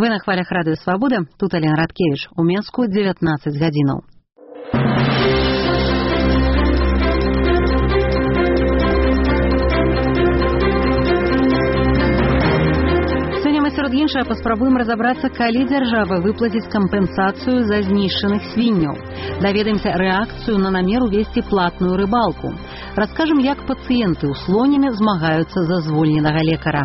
Вы на хвалях радыё Свабода, тут Алена Радкевич. У Менску 19 гадзінаў. Сярод іншага паспрабуем разабрацца, калі дзяржава выплаціць кампенсацыю за знішчаных свінняў. Даведаемся рэакцыю на намер увесці платную рыбалку. Раскажам, як пацыенты ў Слоніме змагаюцца за звольненага лекара.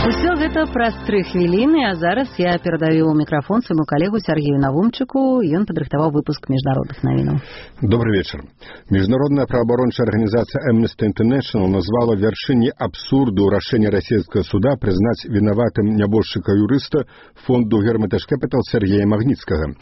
Усё гэта праз 3 хвіліны, а зараз я перадаю мікрафон свайму калегу Сергею Навумчыку. Ён падрыхтаваў выпуск міжнародных навінаў. Добрый вечер. Международная правоабарончая организация Amnesty International назвала вяршыней абсурду рашэння расійскага суда прызнаць вінаватым нябожчыка-юрыста фонду Hermitage Capital Сергея Магніцкага.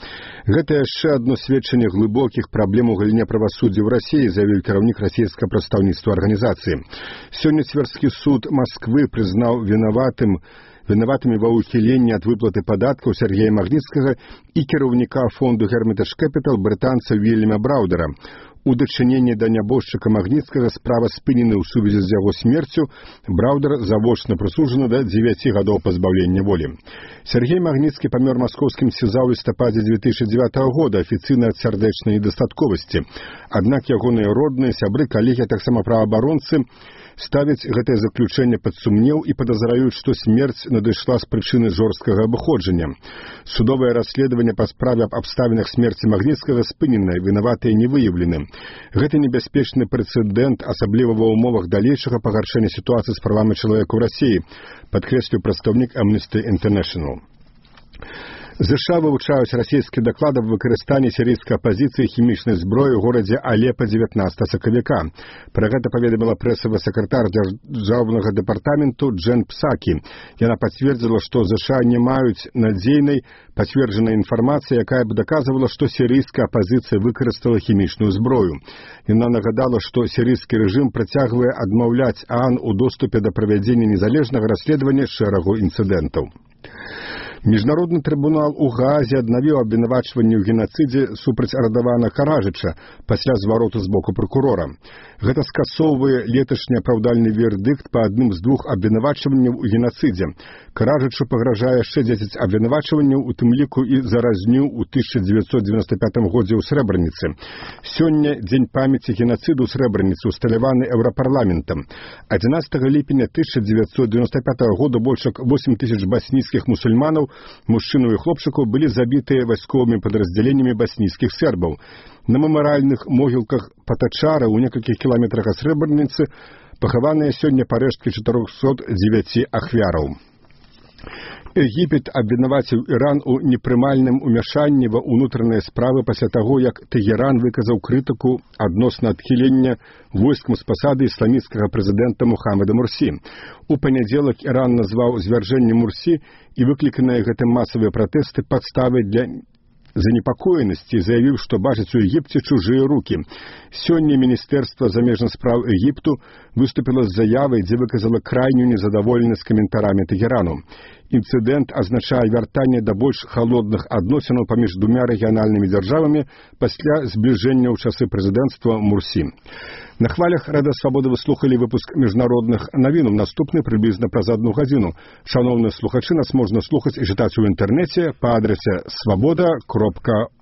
Гэта яшчэ адно сведчанне глыбокіх праблем у галіне правасуддзя ў Расіі, заявіў кіраўнік расійскага прадстаўніцтва арганізацыі. Сёння Цверскі суд Масквы прызнаў вінаватымі ва ўхіленні ад выплаты падаткаў Сергея Магніцкага і кіраўніка фонду Hermitage Capital брытанца Вільяма Браўдера. У дачыненні да нябожчыка Магніцкага справа спынены ў сувязі з яго смерцю. Браўдер завочна прысуджаны да 9 гадоў пазбаўлення волі. Сергей Магніцкі памёр маскоўскім СІЗА ў лістападзе 2009 года афіцыйна ад сардэчнай недастатковасці. Аднак ягоныя родныя, сябры, калегі, а таксама праваабаронцы ставяць гэтае заключэнне пад сумнеў і падазраюць, што смерць надышла з прычыны жорсткага абыходжання. Судовае расследаванне па справе аб абставінах смерці Магніцкага спыненае, вінаватыя не выяўлены. Гэта небяспечны прэцэдэнт, асабліва ва ўмовах далейшага пагаршэння сітуацыі з правамі чалавека ў Расіі, падкрэсліў прадстаўнік Amnesty International. ЗША вывучаюць расійскія даклады аб выкарыстанні сірыйскай апазіцыі хімічнай зброі ў горадзе Алепа 19 сакавіка. Пра гэта паведаміла прэсавы сакратар дзяржаўнага дэпартаменту Джен Псакі. Яна пацвердзіла, што ЗША не маюць надзейнай пацверджанай інфармацыі, якая б даказвала, што сірыйская апазіцыя выкарыстала хімічную зброю. Яна нагадала, што сірыйскі рэжым працягвае адмаўляць ААН у доступе да правядзення незалежнага расследавання шэрагу інцыдэнтаў. Міжнародны трыбунал у Гаазе аднавіў абвінавачванне ў генацыдзе супраць Радавана Каражыча пасля звароту з боку пракурора. Гэта скасоўвае леташні апраўдальны вердыкт па адным з 2 абвінавачванняў у генацыдзе. Каражычу пагражае яшчэ 10 абвінавачванняў, у тым ліку і за разню ў 1995 годзе ў Срэбраніцы. Сёння дзень памяці генацыду ў Срэбраніцы усталяваны Еўрапарламентам. 11 ліпеня 1995 года больш як 8 тысяч баснійскіх мусульманаў, мужчынаў і хлопчыкаў былі забітыя вайсковымі падраздзяленнямі баснійскіх сербаў. На мемарыяльных могілках Патачара ў некалькіх кіламетрах ад Срэбраніцы пахаваныя сёння парэшткі 409 ахвяраў. Егіпет абвінаваціў Іран у непрымальным умяшанні ва ўнутраныя справы пасля таго, як Тэгеран выказаў крытыку адносна адхілення войскам з пасады ісламісцкага прэзідэнта Мухаммеда Мурсі. У панядзелак Іран назваў звяржэнне Мурсі і выкліканыя гэтым масавыя пратэсты падставай для занепакоенасці, заявіў, што бачыць у Егіпце чужыя рукі. Сёння Міністэрства замежных спраў Егіпту выступіла з заявай, дзе выказала крайнюю незадаволенасць каментарамі Тэгерану. Інцыдэнт азначае вяртанне да больш халодных адносінаў паміж двумя рэгіянальнымі дзяржавамі пасля збліжэння ў часы прэзідэнцтва Мурсі. На хвалях Радыё Свабода вы слухалі выпуск міжнародных навінаў. Наступны прыблізна праз 1 гадзіну. Шановныя слухачы, нас можна слухаць і чытаць у інтэрнэце па адрасе swaboda.org.